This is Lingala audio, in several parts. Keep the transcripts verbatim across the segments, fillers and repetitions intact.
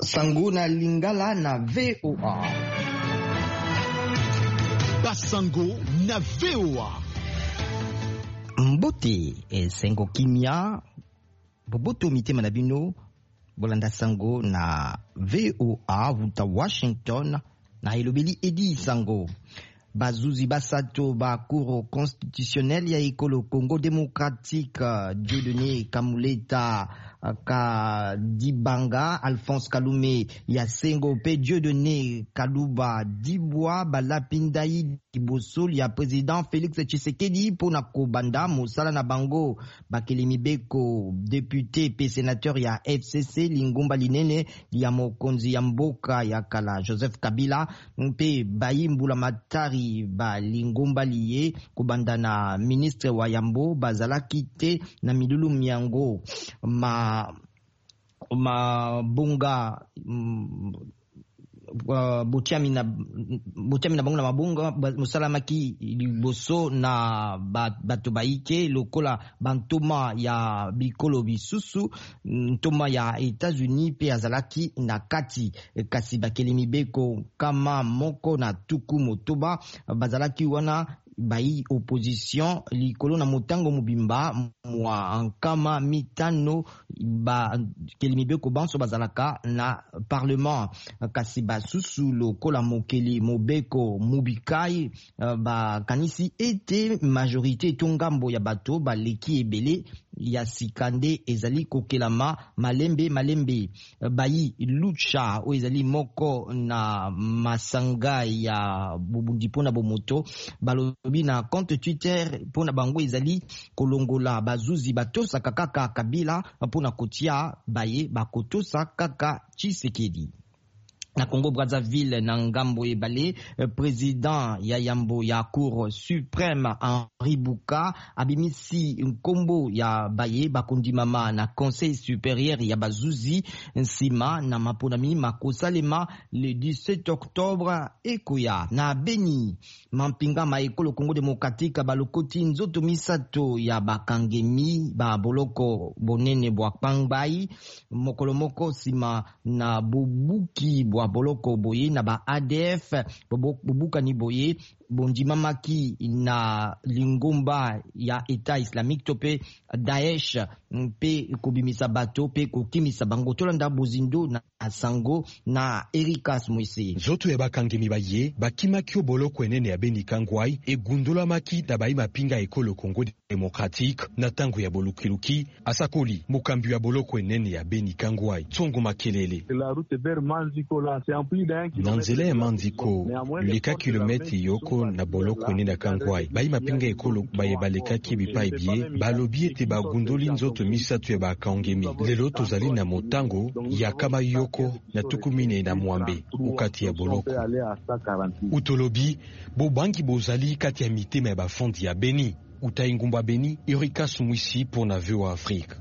Sango na Lingala na V O A. Basango na V O A. Mbote, esengo, kimia, boboto mitema na bino. Bolanda sango na V O A wuta Washington na elobeli Edi Sango. Bazuzi basato ba Cour constitutionnelle ya ekolo Congo démocratique, Dieudonné Kamuleta Kadibanga, Alphonse Kalume ya Sengo mpe Dieudonné Kaluba Dibwa, balapi ndai liboso ya président Félix Tshisekedi mpona kobanda mosala na bango. Bakeli mibeko, député mpe sénateur ya F C C, lingomba linene ya mokonzi ya mboka ya kala Joseph Kabila, mpe bayi mbula matari ba lingomba liye, kobanda na ministre wa yambo, bazalaki te na milulu miango. Ma mabonga mm, uh, botiami na botiami na bango na mabonga mosalamaki liboso na bato bayike lokola bantoma ya bikolo bisusu. Ntoma ya États-Unis mpe azalaki na kati. Kasi bakeli mibeko kama moko na tuku motoba bazalaki wana bayi opposition likolo na motango mobimba mwa nkama mitano bakeli mibeko banso bazalaka na parlement. Kasi basusu lokola mokeli mobeko Mubikai bakanisi ete majorité to ngambo ya bato baleki ebele ya sika nde ezali kokelama malembe malembe. Bayi Lucha, oyo ezali moko na masanga ya bobundi mpona bomoto, balobi na compte Twitter mpona bango ezali kolongola bazuzi batosaka kaka Kabila mpona kotia baye bakotosa kaka Tshisekedi. Na Congo Brazzaville, na ngambo ebale, président ya yambo ya Cour suprême Henri Buka abimisi nkombo ya baye bakondimama na Conseil supérieur ya bazuzi nsima na maponami makosalema le dix-sept octobre ekoya. Na Beni, mampinga ma ekolo Congo démocratique balokoti nzoto misato ya bakangemi ba boloko bonene bwa Kangbayi, mokolo moko nsima na bobuki bwa boloko boye na ba A D F. Bobukani boye bondimamaki na lingomba ya État islamique to mpe Daesh, mpe kobimisa bato mpe kokimisa bango. Tolanda bozindo na sango na Erikas Mwese. Nzoto ya bakangemi baye bakimaki o boloko enene ya Beni Kangwai egundolamaki na bayi mapinga ekolo Congo démocratique na ntango ya bolukiluki, asakoli mokambi ya boloko enene ya Beni Kangwai, Tsongo Makelele. Na nzela ya Manziko, leka kilomètre yoko na boloko enene ya Kangwai, bayi mapinga ekolo baye balekaki bipai bie balobi ete bagundoli nzoto misato ya bakangemi. Lelo tozali na motango ya kama yoko na tuku minei na mwambe okati ya boloko. Utolobi bobangi bozali kati ya mitema ya bafondi ya Beni. Uta engumba Beni, Erika Sumwisi pour na V O A Afrique.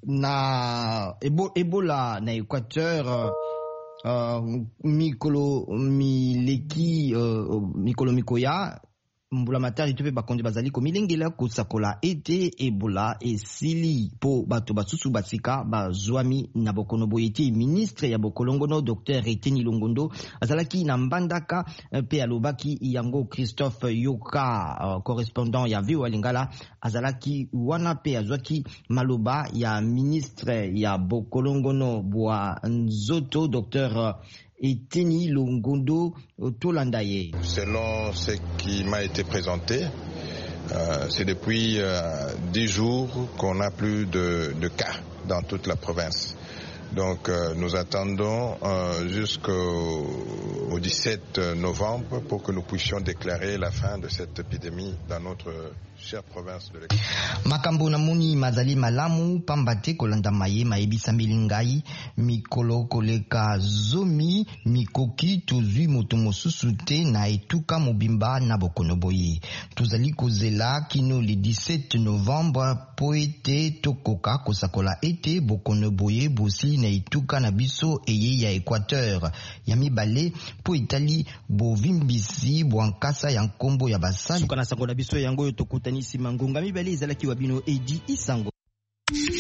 Na ebo, Ebola na Équateur, uh, mikolo mileki, uh, mikolo mikoya, mbula matari to mpe bakonzi bazali komilengela kosakola ete Ebola esili mpo bato basusu basika bazwami na bokono boye te. Ministre ya bokolongono Docteur Eteni Longondo azalaki na Mbandaka mpe alobaki yango. Christophe Yoka, uh, correspondant ya V O A Lingala, azalaki wana mpe azwaki maloba ya ministre ya bokolongono bwa nzoto Docteur Eteni Longondo. Tolanda ye. Selon ce qui m'a été présenté, euh, c'est depuis euh, dix jours qu'on n'a plus de, de cas dans toute la province. Donc euh, nous attendons euh, jusqu'au au dix-sept novembre pour que nous puissions déclarer la fin de cette épidémie dans notre chère province de l'Équateur. Makambo namoni mazali malamu pamba te kolanda maye mayebisameli ngai mikolo koleka zomi mikoki, tozwi moto mosusu te na etuka mobimba na bokono boye. Tozali kozela kino le dix-sept novembre mpo ete tokoka kosakola ete bokono boye bosili na etuka na biso eye ya Équateur. Ya mibale, mpo etali bovimbisi bwa nkasa ya nkombo ya basali. Suka na sango na biso yango oyo. Tokutani nsima ngonga mibale. Ezalaki wa bino Edi Isango.